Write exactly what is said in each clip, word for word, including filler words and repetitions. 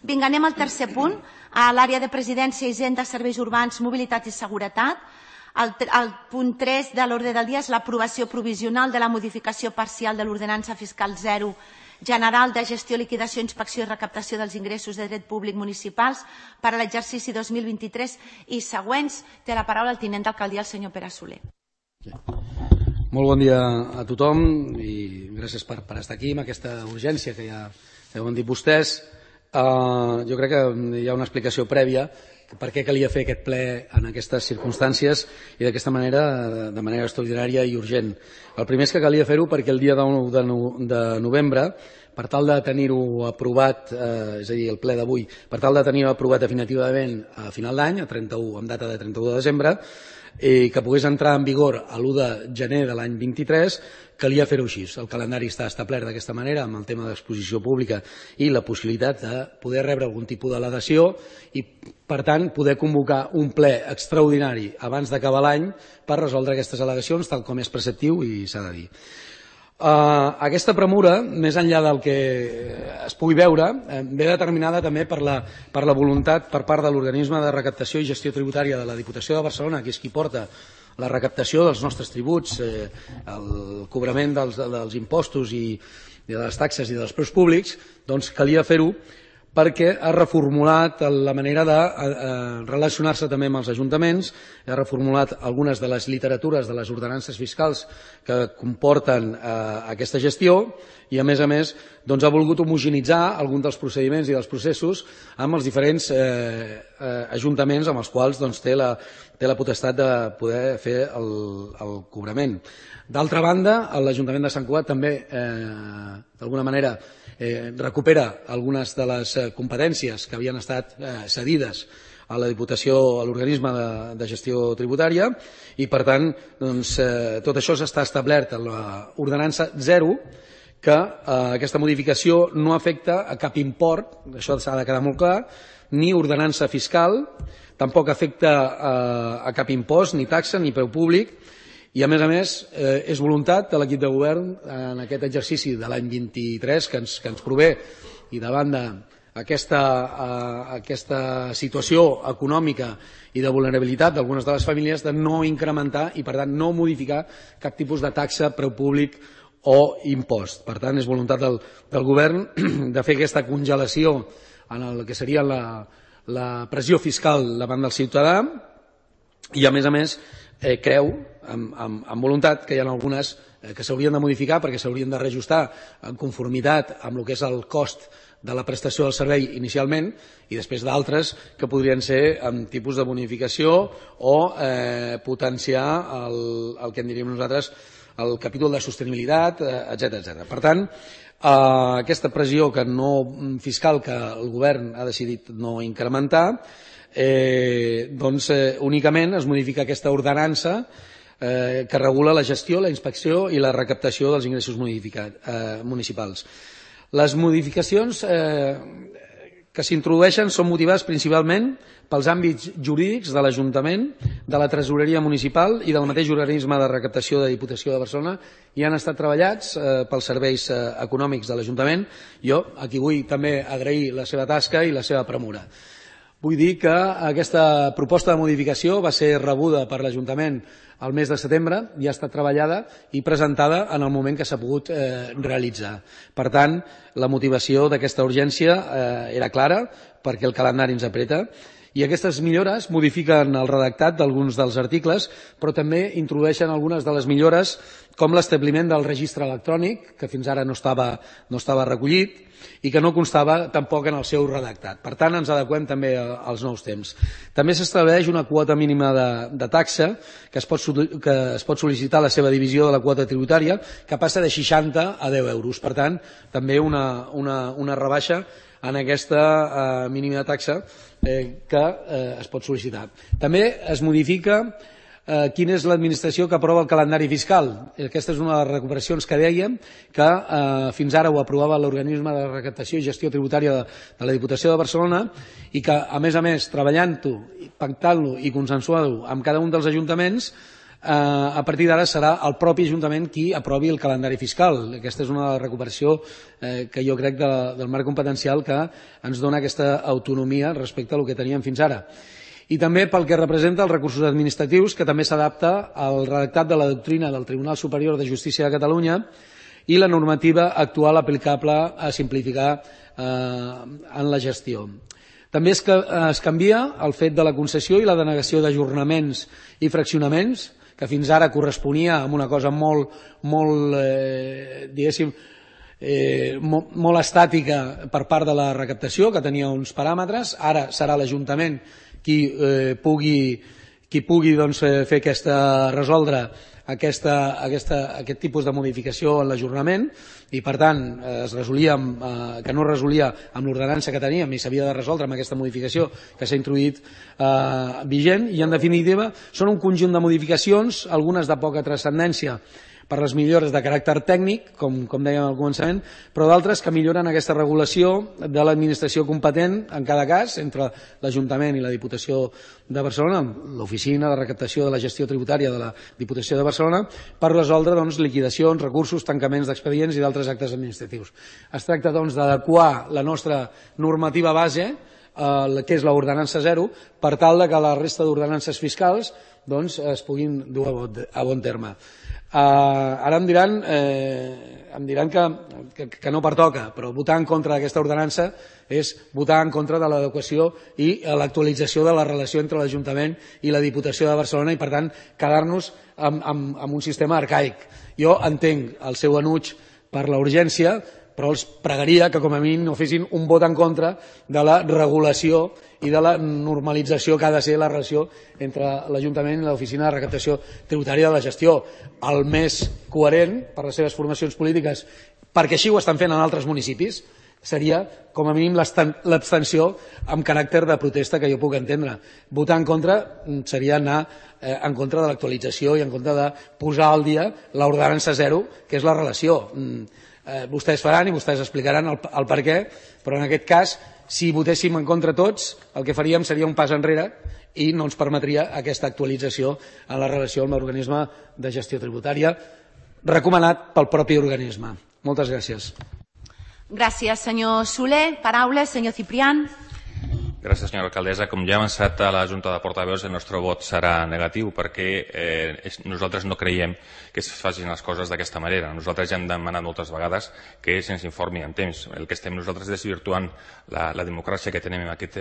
Vinga, anem al tercer punt, a l'àrea de presidència, hisenda, serveis urbans, mobilitat i seguretat. El, el punt tres de l'ordre del dia és l'aprovació provisional de la modificació parcial de l'ordenança fiscal zero general de gestió, liquidació, inspecció i recaptació dels ingressos de dret públic municipals per a l'exercici dos mil vint-i-tres i següents. Té la paraula el tinent d'alcaldia, el senyor Pere Soler. Molt bon dia a tothom i gràcies per, per estar aquí amb aquesta urgència que ja, ja ho han dit vostès. Uh, jo crec que hi ha una explicació prèvia per què calia fer aquest ple en aquestes circumstàncies i d'aquesta manera, de manera extraordinària i urgent. El primer és que calia fer-ho perquè el dia nou de novembre, per tal de tenir-ho aprovat, eh, és a dir, el ple d'avui, per tal de tenir-ho aprovat definitivament a final d'any, a trenta-u, amb data de trenta-u de desembre, i que pogués entrar en vigor a l'u de gener de l'any vint-i-tres, calia fer-ho així. El calendari està establert d'aquesta manera amb el tema d'exposició pública i la possibilitat de poder rebre algun tipus de delegació i, per tant, poder convocar un ple extraordinari abans d'acabar l'any per resoldre aquestes al·legacions, tal com és preceptiu i s'ha de dir. Uh, aquesta premura, més enllà del que es pugui veure, eh, ve determinada també per la, per la voluntat per part de l'organisme de recaptació i gestió tributària de la Diputació de Barcelona, que és qui porta la recaptació dels nostres tributs, eh, el cobrament dels, dels impostos i, i de les taxes i dels preus públics, doncs calia fer-ho perquè ha reformulat la manera de eh, relacionar-se també amb els ajuntaments, ha reformulat algunes de les literatures de les ordenances fiscals que comporten eh, aquesta gestió i, a més a més, doncs, ha volgut homogenitzar alguns dels procediments i dels processos amb els diferents eh, eh, ajuntaments amb els quals doncs, té, la, té la potestat de poder fer el, el cobrament. D'altra banda, l'Ajuntament de Sant Cugat també, eh, d'alguna manera, eh, recupera algunes de les competències que havien estat eh, cedides a la Diputació, a l'organisme de, de gestió tributària i, per tant, doncs, eh, tot això s'està establert en l'ordenança zero, que eh, aquesta modificació no afecta a cap import, això s'ha de quedar molt clar, ni ordenança fiscal, tampoc afecta eh, a cap impost, ni taxa, ni preu públic, i, a més a més, eh, és voluntat de l'equip de govern en aquest exercici de l'any vint-i-tres que ens, que ens prové i davant d'aquesta eh, aquesta situació econòmica i de vulnerabilitat d'algunes de les famílies de no incrementar i, per tant, no modificar cap tipus de taxa, preu públic o impost. Per tant, és voluntat del, del govern de fer aquesta congelació en el que seria la, la pressió fiscal davant del ciutadà i, a més a més, eh, creu amb, amb, amb voluntat que hi ha algunes eh, que s'haurien de modificar perquè s'haurien de reajustar en conformitat amb el que és el cost de la prestació del servei inicialment i després d'altres que podrien ser amb tipus de bonificació o eh, potenciar el, el que en diríem nosaltres el capítol de sostenibilitat, eh, etcètera, etcètera. Per tant, eh, aquesta pressió que no, fiscal que el govern ha decidit no incrementar, eh, doncs eh, únicament es modifica aquesta ordenança eh, que regula la gestió, la inspecció i la recaptació dels ingressos eh, municipals. Les modificacions eh, que s'introdueixen són motivades principalment pels àmbits jurídics de l'Ajuntament, de la Tresoreria Municipal i del mateix organisme de recaptació de Diputació de Barcelona i han estat treballats eh, pels serveis eh, econòmics de l'Ajuntament. Jo aquí vull també agrair la seva tasca i la seva premura. Vull dir que aquesta proposta de modificació va ser rebuda per l'Ajuntament al mes de setembre i ha estat treballada i presentada en el moment que s'ha pogut eh, realitzar. Per tant, la motivació d'aquesta urgència eh, era clara perquè el calendari ens apreta i aquestes millores modifiquen el redactat d'alguns dels articles però també introdueixen algunes de les millores com l'establiment del registre electrònic que fins ara no estava, no estava recollit i que no constava tampoc en el seu redactat. Per tant, ens adequem també als nous temps. També s'estableix una quota mínima de, de taxa que es, pot, que es pot sol·licitar la seva divisió de la quota tributària que passa de seixanta a deu euros. Per tant, també una, una, una rebaixa en aquesta eh, mínima taxa eh, que eh, es pot sol·licitar. També es modifica eh, quina és l'administració que aprova el calendari fiscal. Aquesta és una de les recuperacions que dèiem que eh, fins ara ho aprovava l'organisme de recaptació i gestió tributària de, de la Diputació de Barcelona i que, a més a més, treballant-ho, pactant-lo i consensuant-lo amb cada un dels ajuntaments, a partir d'ara serà el propi Ajuntament qui aprovi el calendari fiscal. Aquesta és una recuperació que jo crec del marc competencial que ens dona aquesta autonomia respecte al que teníem fins ara. I també pel que representa els recursos administratius, que també s'adapta al redactat de la doctrina del Tribunal Superior de Justícia de Catalunya i la normativa actual aplicable a simplificar en la gestió. També es canvia el fet de la concessió i la denegació d'ajornaments i fraccionaments, que fins ara corresponia amb una cosa molt, molt diguéssim, molt estàtica per part de la recaptació, que tenia uns paràmetres. Ara serà l'Ajuntament qui pugui fer aquesta, resoldre aquest tipus de modificació en l'ajornament i, per tant, es resolia que no es resolia amb l'ordenança que teníem i s'havia de resoldre amb aquesta modificació que s'ha introduït vigent. I, en definitiva, són un conjunt de modificacions, algunes de poca transcendència per les millores de caràcter tècnic, com dèiem al començament, però d'altres que milloren aquesta regulació de l'administració competent en cada cas entre l'Ajuntament i la Diputació de Barcelona, l'Oficina de Recaptació de la Gestió Tributària de la Diputació de Barcelona, per resoldre liquidacions, recursos, tancaments d'expedients i d'altres actes administratius. Es tracta d'adequar la nostra normativa base, que és l'ordenança zero, per tal que la resta d'ordenances fiscals es puguin dur a bon terme. Ara em diran em diran que no pertoca, però votar en contra d'aquesta ordenança és votar en contra de l'adequació i l'actualització de la relació entre l'Ajuntament i la Diputació de Barcelona i, per tant, quedar-nos amb un sistema arcaic. Jo entenc el seu enuig per la urgència, però els pregaria que com a mínim no fessin un vot en contra de la regulació i de la normalització que ha de ser la relació entre l'Ajuntament i l'Oficina de Recaptació Tributària de la Gestió. El més coherent per les seves formacions polítiques, perquè així ho estan fent en altres municipis, seria com a mínim l'abstenció amb caràcter de protesta, que jo puc entendre. Votar en contra seria anar en contra de l'actualització i en contra de posar al dia l'ordenança zero, que és la relació. Vostès faran i vostès explicaran el per què, però en aquest cas, si votéssim en contra tots, el que faríem seria un pas enrere i no ens permetria aquesta actualització en la relació amb l'organisme de gestió tributària recomanat pel propi organisme. Moltes gràcies. Gràcies, senyor Soler. Paraules, senyor Ciprián. Gràcies, senyora alcaldessa. Com ja ha avançat a la Junta de Portaveus, el nostre vot serà negatiu perquè nosaltres no creiem que es facin les coses d'aquesta manera. Nosaltres ja hem demanat moltes vegades que se'ns informi en temps. El que estem nosaltres desvirtuant la democràcia que tenim en aquest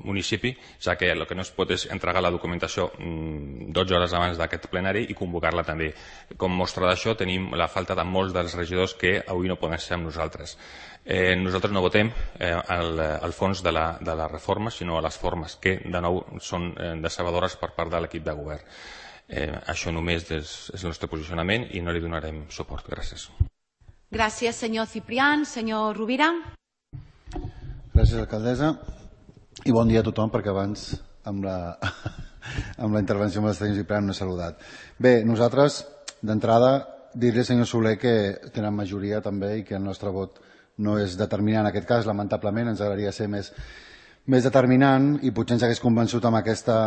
municipi, ja que el que no es pot és entregar la documentació dotze hores abans d'aquest plenari i convocar-la també. Com mostra d'això tenim la falta de molts dels regidors que avui no poden ser amb nosaltres. Nosaltres no votem al fons de la reforma, sinó a les formes, que de nou són decebedores per part de l'equip de govern. Això només és el nostre posicionament i no li donarem suport. Gràcies. Gràcies, senyor Ciprián. Senyor Rovira. Gràcies, alcaldessa. I bon dia a tothom, perquè abans amb la intervenció amb el senyor Ciprián no he saludat. Bé, nosaltres, d'entrada, dir-li al senyor Soler que tenen majoria també i que el nostre vot no és determinant en aquest cas, lamentablement, ens agradaria ser més determinant i potser ens hagués convençut amb aquesta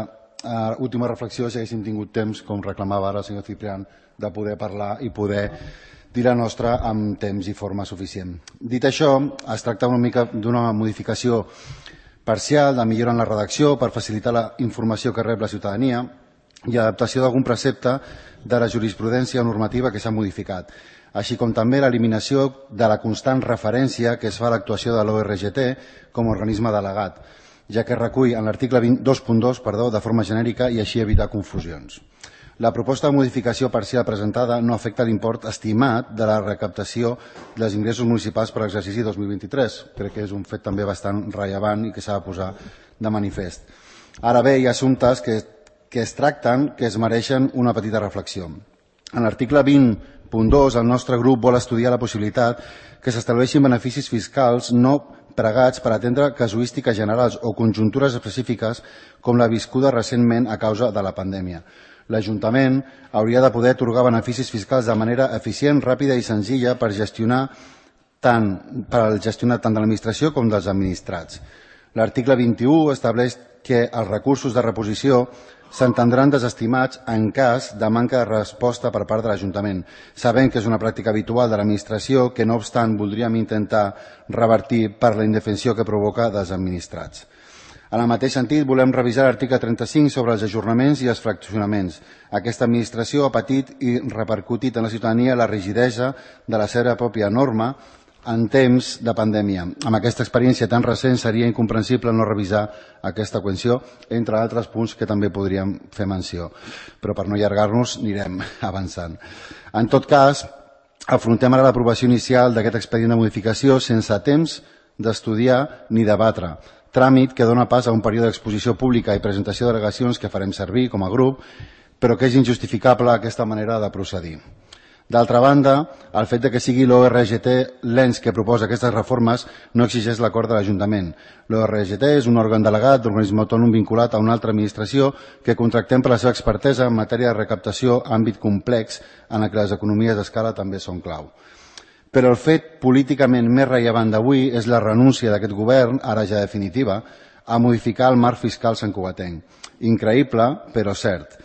última reflexió si haguéssim tingut temps, com reclamava ara el senyor Ciprián, de poder parlar i poder dir la nostra amb temps i forma suficient. Dit això, es tracta una mica d'una modificació parcial, de millora en la redacció per facilitar la informació que rep la ciutadania i adaptació d'algun precepte de la jurisprudència normativa que s'ha modificat, així com també l'eliminació de la constant referència que es fa a l'actuació de l'O R G T com a organisme delegat, ja que recull en l'article dos punt dos de forma genèrica i així evitar confusions. La proposta de modificació parcial presentada no afecta l'import estimat de la recaptació dels ingressos municipals per l'exercici dos mil vint-i-tres. Crec que és un fet també bastant rellevant i que s'ha de posar de manifest. Ara bé, hi ha assumptes que es tracten que es mereixen una petita reflexió. En l'article vint punt dos, el nostre grup vol estudiar la possibilitat que s'estableixin beneficis fiscals no pregats per atendre casuístiques generals o conjuntures específiques com la viscuda recentment a causa de la pandèmia. L'Ajuntament hauria de poder atorgar beneficis fiscals de manera eficient, ràpida i senzilla per gestionar tant per gestionar tant de l'administració com dels administrats. L'article vint-i-u estableix que els recursos de reposició s'entendran desestimats en cas de manca de resposta per part de l'Ajuntament, sabent que és una pràctica habitual de l'administració que, no obstant, voldríem intentar revertir per la indefensió que provoca dels administrats. En el mateix sentit, volem revisar l'article trenta-cinc sobre els ajornaments i els fraccionaments. Aquesta administració ha patit i repercutit en la ciutadania la rigidesa de la seva pròpia norma en temps de pandèmia. Amb aquesta experiència tan recent seria incomprensible no revisar aquesta qüestió, entre altres punts que també podríem fer menció. Però per no allargar-nos anirem avançant. En tot cas, afrontem ara l'aprovació inicial d'aquest expedient de modificació sense temps d'estudiar ni debatre, tràmit que dona pas a un període d'exposició pública i presentació d'al·legacions que farem servir com a grup, però que és injustificable aquesta manera de procedir. D'altra banda, el fet de que sigui l'O R G T l'ens que proposa aquestes reformes no exigeix l'acord de l'Ajuntament. L'O R G T és un òrgan delegat d'organisme autònom vinculat a una altra administració que contractem per la seva expertesa en matèria de recaptació, àmbit complex en el que les economies d'escala també són clau. Però el fet políticament més rellevant d'avui és la renúncia d'aquest govern, ara ja definitiva, a modificar el marc fiscal santcugatenc. Increïble, però cert.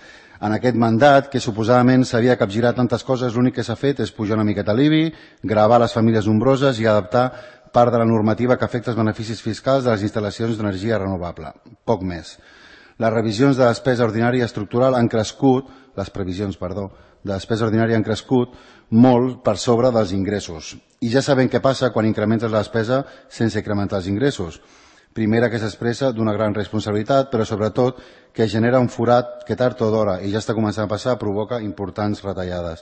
En aquest mandat, que suposadament s'havia capgirat tantes coses, l'únic que s'ha fet és pujar una miqueta l'I B I, gravar les famílies nombroses i adaptar part de la normativa que afecta els beneficis fiscals de les instal·lacions d'energia renovable. Poc més. Les revisions de despesa ordinària estructural han crescut, les previsions, perdó, de despesa ordinària han crescut molt per sobre dels ingressos. I ja sabem què passa quan incrementes la despesa sense incrementar els ingressos. Primera, que s'expressa d'una gran responsabilitat, però sobretot que genera un forat que tard o d'hora, i ja està començant a passar, provoca importants retallades.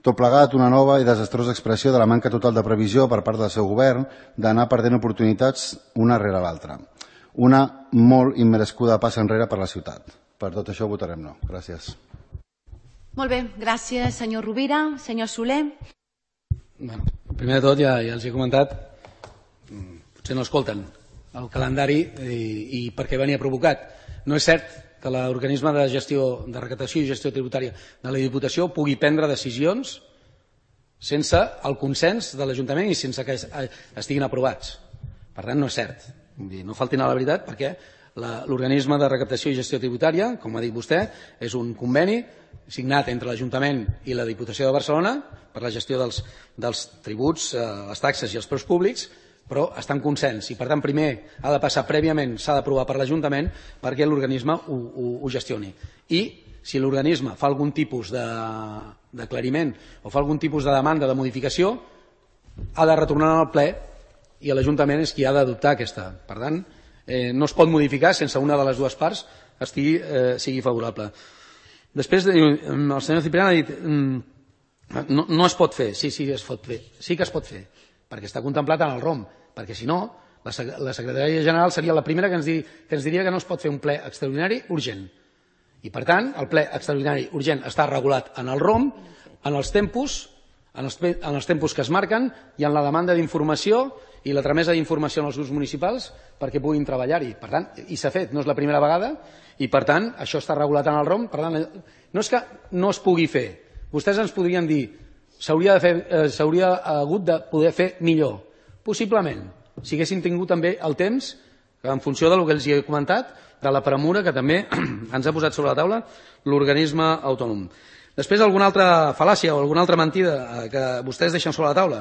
Tot plegat, una nova i desastrosa expressió de la manca total de previsió per part del seu govern d'anar perdent oportunitats una rere l'altra. Una molt immerescuda passa enrere per la ciutat. Per tot això votarem no. Gràcies. Molt bé, gràcies senyor Rovira. Senyor Soler. Bueno, primer de tot, ja, ja els he comentat, potser no escolten el calendari i, i per què venia provocat. No és cert que l'organisme de gestió de recaptació i gestió tributària de la Diputació pugui prendre decisions sense el consens de l'Ajuntament i sense que estiguin aprovats. Per tant, no és cert. No faltin a la veritat, perquè l'organisme de recaptació i gestió tributària, com ha dit vostè, és un conveni signat entre l'Ajuntament i la Diputació de Barcelona per la gestió dels, dels tributs, les taxes i els preus públics, però està en consens i, per tant, primer ha de passar prèviament, s'ha d'aprovar per l'Ajuntament perquè l'organisme ho, ho, ho gestioni. I si l'organisme fa algun tipus d'aclariment o fa algun tipus de demanda de modificació, ha de retornar al ple i l'Ajuntament és qui ha d'adoptar aquesta. Per tant, eh, no es pot modificar sense una de les dues parts estigui, eh, sigui favorable. Després, el senyor Ciprián ha dit no, no es pot fer. Sí, sí, es pot fer. Sí que es pot fer, perquè està contemplat en el R O M, perquè si no, la Secretaria General seria la primera que ens, dir, que ens diria que no es pot fer un ple extraordinari urgent. I, per tant, el ple extraordinari urgent està regulat en el R O M, en els tempos, en els, en els tempos que es marquen i en la demanda d'informació i la tramesa d'informació als grups municipals perquè puguin treballar-hi. Per tant, i s'ha fet, no és la primera vegada, i, per tant, això està regulat en el R O M. Per tant, no és que no es pugui fer. Vostès ens podrien dir s'hauria eh, hagut de poder fer millor. Possiblement, si haguessin tingut també el temps, en funció del que els he comentat, de la premura que també ens ha posat sobre la taula l'organisme autònom. Després, alguna altra fal·làcia o alguna altra mentida que vostès deixen sobre la taula.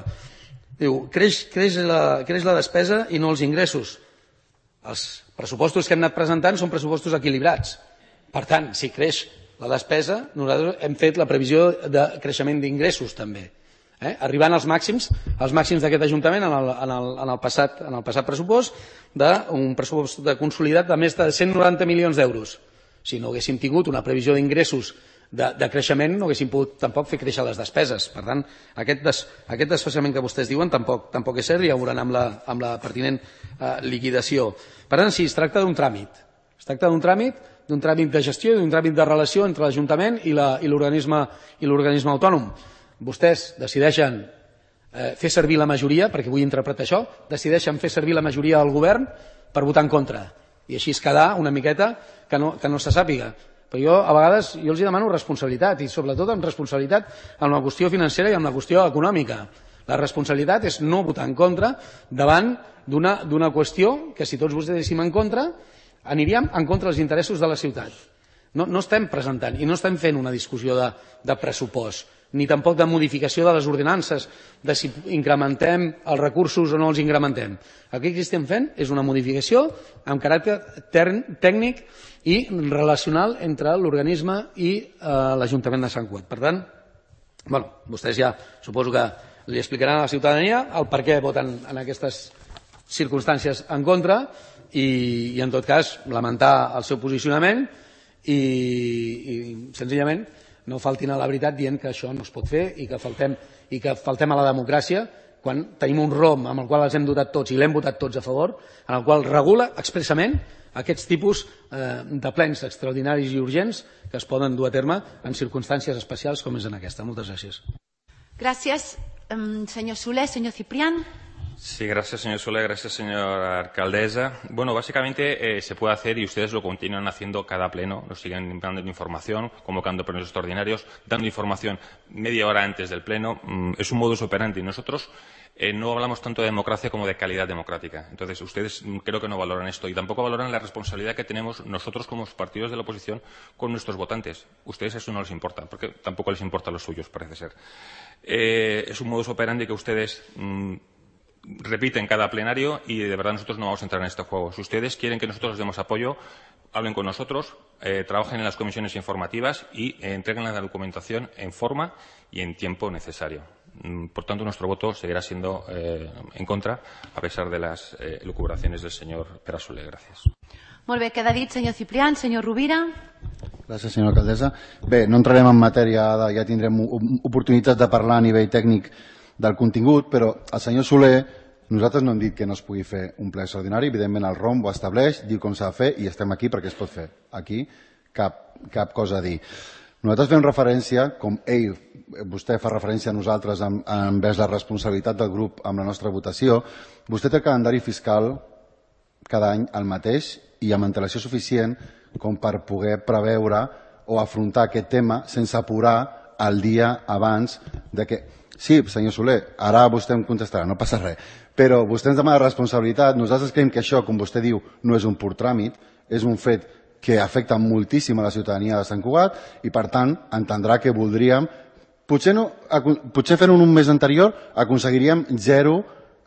Diu, creix, creix, la, creix la despesa i no els ingressos. Els pressupostos que hem anat presentant són pressupostos equilibrats. Per tant, si creix la despesa, nosaltres hem fet la previsió de creixement d'ingressos també. Eh? Arribant als màxims, als màxims d'aquest Ajuntament en el, en, el, en, el passat, en el passat pressupost d'un pressupost de consolidat de més de cent noranta milions d'euros. Si no haguéssim tingut una previsió d'ingressos de, de creixement, no haguéssim pogut tampoc fer créixer les despeses. Per tant, aquest, des, aquest desfasament que vostès diuen tampoc, tampoc és cert i ja ho veuran amb la, amb la pertinent eh, liquidació. Per tant, sí, es tracta d'un tràmit. Es tracta d'un tràmit d'un tràmit de gestió i d'un tràmit de relació entre l'Ajuntament i l'organisme autònom. Vostès decideixen eh, fer servir la majoria, perquè vull interpretar això, decideixen fer servir la majoria del govern per votar en contra. I així es quedar una miqueta que no, que no se sàpiga. Però jo, a vegades, jo els demano responsabilitat, i sobretot amb responsabilitat amb la qüestió financera i amb la qüestió econòmica. La responsabilitat és no votar en contra davant d'una qüestió que si tots votéssim en contra aniríem en contra dels interessos de la ciutat. No, no estem presentant i no estem fent una discussió de, de pressupost, ni tampoc de modificació de les ordenances, de si incrementem els recursos o no els incrementem. El que estem fent és una modificació amb caràcter tècnic i relacional entre l'organisme i eh, l'Ajuntament de Sant Cugat. Per tant, bueno, vostès ja suposo que li explicaran a la ciutadania el per què voten en aquestes circumstàncies en contra i, i en tot cas, lamentar el seu posicionament i, i senzillament no faltin a la veritat dient que això no es pot fer i que faltem, i que faltem a la democràcia quan tenim un ROM amb el qual els hem dotat tots i l'hem votat tots a favor, en el qual regula expressament aquests tipus eh, de plens extraordinaris i urgents que es poden dur a terme en circumstàncies especials com és en aquesta. Moltes gràcies. Gràcies, senyor Soler. Senyor Ciprián. Sí, gracias, señor Soler. Gracias, señora alcaldesa. Bueno, básicamente eh, se puede hacer y ustedes lo continúan haciendo cada pleno. Nos siguen dando información, convocando plenos extraordinarios, dando información media hora antes del pleno. Mm, es un modus operandi. Nosotros eh, no hablamos tanto de democracia como de calidad democrática. Entonces, ustedes mm, creo que no valoran esto y tampoco valoran la responsabilidad que tenemos nosotros como partidos de la oposición con nuestros votantes. Ustedes eso no les importa, porque tampoco les importa a los suyos, parece ser. Eh, es un modus operandi que ustedes mm, repiten cada plenario y de verdad nosotros no vamos a entrar en este juego. Si ustedes quieren que nosotros les demos apoyo, hablen con nosotros, eh, trabajen en las comisiones informativas y eh, entreguen la documentación en forma y en tiempo necesario. Por tanto, nuestro voto seguirá siendo eh, en contra, a pesar de las eh, elucubraciones del señor Pere Soler. Gracias. Molt bé, queda dit, senyor Ciprián. Senyor Rovira. Gràcies, senyora alcaldessa. Bé, no entrarem en matèria, de, ja tindrem oportunitats de parlar a nivell tècnic del contingut, però el senyor Soler, nosaltres no hem dit que no es pugui fer un ple extraordinari, evidentment el ROM ho estableix, diu com s'ha de fer i estem aquí perquè es pot fer. Aquí cap, cap cosa a dir. Nosaltres fem referència, com ell, vostè fa referència a nosaltres en, envers la responsabilitat del grup amb la nostra votació, vostè té el calendari fiscal cada any el mateix i amb antelació suficient com per poder preveure o afrontar aquest tema sense apurar el dia abans de que... Sí, senyor Soler, ara vostè em contestarà, no passa res, però vostè ens demana responsabilitat, nosaltres creiem que això, com vostè diu, no és un pur tràmit, és un fet que afecta moltíssim a la ciutadania de Sant Cugat i, per tant, entendrà que voldríem, potser, no, potser fent-ho un mes anterior, aconseguiríem zero,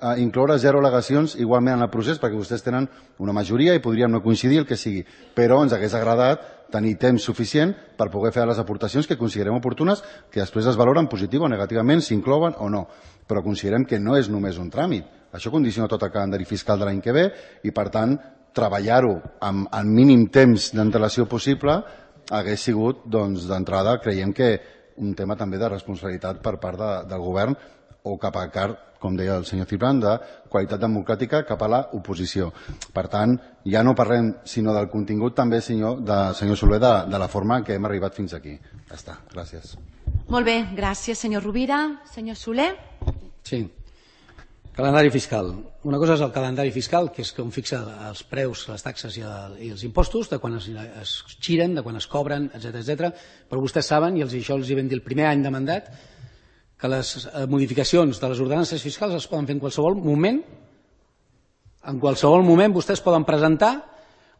eh, incloure zero al·legacions igualment en el procés, perquè vostès tenen una majoria i podríem no coincidir el que sigui, però ens hagués agradat tenir temps suficient per poder fer les aportacions que considerem oportunes, que després es valoren positiu o negativament, s'inclouen o no. Però considerem que no és només un tràmit. Això condiciona tot el calendari fiscal de l'any que ve i, per tant, treballar-ho amb el mínim temps d'antelació possible hagués sigut, doncs, d'entrada, creiem que un tema també de responsabilitat per part de, del govern o cap a car, com deia el senyor Ciprián, de qualitat democràtica cap a l'oposició. Per tant, ja no parlem sinó del contingut també, senyor, de, senyor Soler, de, de la forma que hem arribat fins aquí. Ja està, gràcies. Molt bé, gràcies, senyor Rovira. Senyor Soler. Sí. Calendari fiscal. Una cosa és el calendari fiscal, que és com fixa els preus, les taxes i, el, i els impostos, de quan es, es giren, de quan es cobren, etcètera, etcètera. Però vostès saben, i els, això els hi vam dir el primer any de mandat, que les modificacions de les ordenances fiscals es poden fer en qualsevol moment. En qualsevol moment vostès poden presentar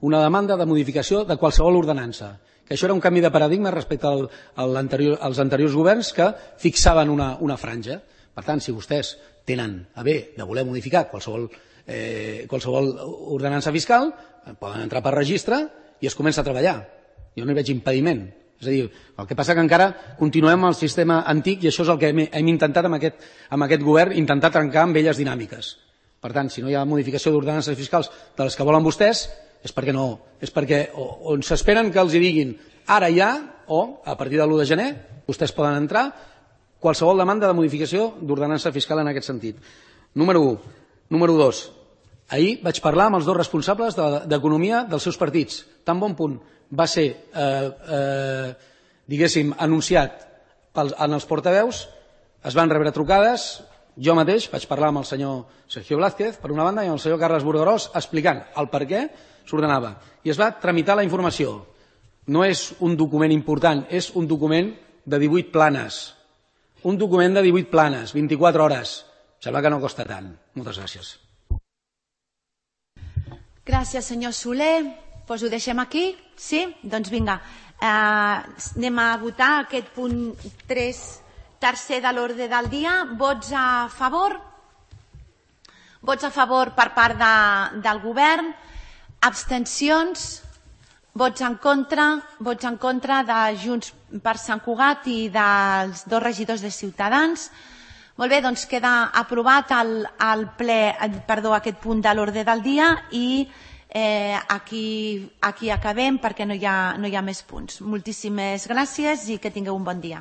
una demanda de modificació de qualsevol ordenança. Que això era un canvi de paradigma respecte al, al anterior, als anteriors governs que fixaven una, una franja. Per tant, si vostès tenen a bé de voler modificar qualsevol, eh, qualsevol ordenança fiscal, poden entrar per registre i es comença a treballar. Jo no hi veig impediment. És a dir, el que passa que encara continuem amb el sistema antic i això és el que hem, hem intentat amb aquest, amb aquest govern, intentar trencar amb velles dinàmiques. Per tant, si no hi ha modificació d'ordenances fiscals de les que volen vostès, és perquè no, és perquè o, on s'esperen que els hi diguin ara ja o a partir de l'u de gener vostès poden entrar qualsevol demanda de modificació d'ordenança fiscal en aquest sentit. Número u. Número dos. Ahir vaig parlar amb els dos responsables d'Economia dels seus partits. Tan bon punt va ser, eh, eh, diguéssim, anunciat pels, en els portaveus, es van rebre trucades, jo mateix vaig parlar amb el senyor Sergio Blázquez, per una banda, i amb el senyor Carles Burgarós, explicant el per què s'ordenava. I es va tramitar la informació. No és un document important, és un document de divuit planes. Un document de divuit planes, vint-i-quatre hores. sembla que no costa tant. Moltes gràcies. Gràcies, senyor Soler. Doncs ho deixem aquí? Sí? Doncs vinga. Anem a votar aquest punt tres tercer de l'ordre del dia. Vots a favor? Vots a favor per part del govern. Abstencions? Vots en contra? Vots en contra de Junts per Sant Cugat i dels dos regidors de Ciutadans. Molt bé, doncs queda aprovat el ple, perdó, aquest punt de l'ordre del dia i aquí acabem perquè no hi ha més punts. Moltíssimes gràcies i que tingueu un bon dia.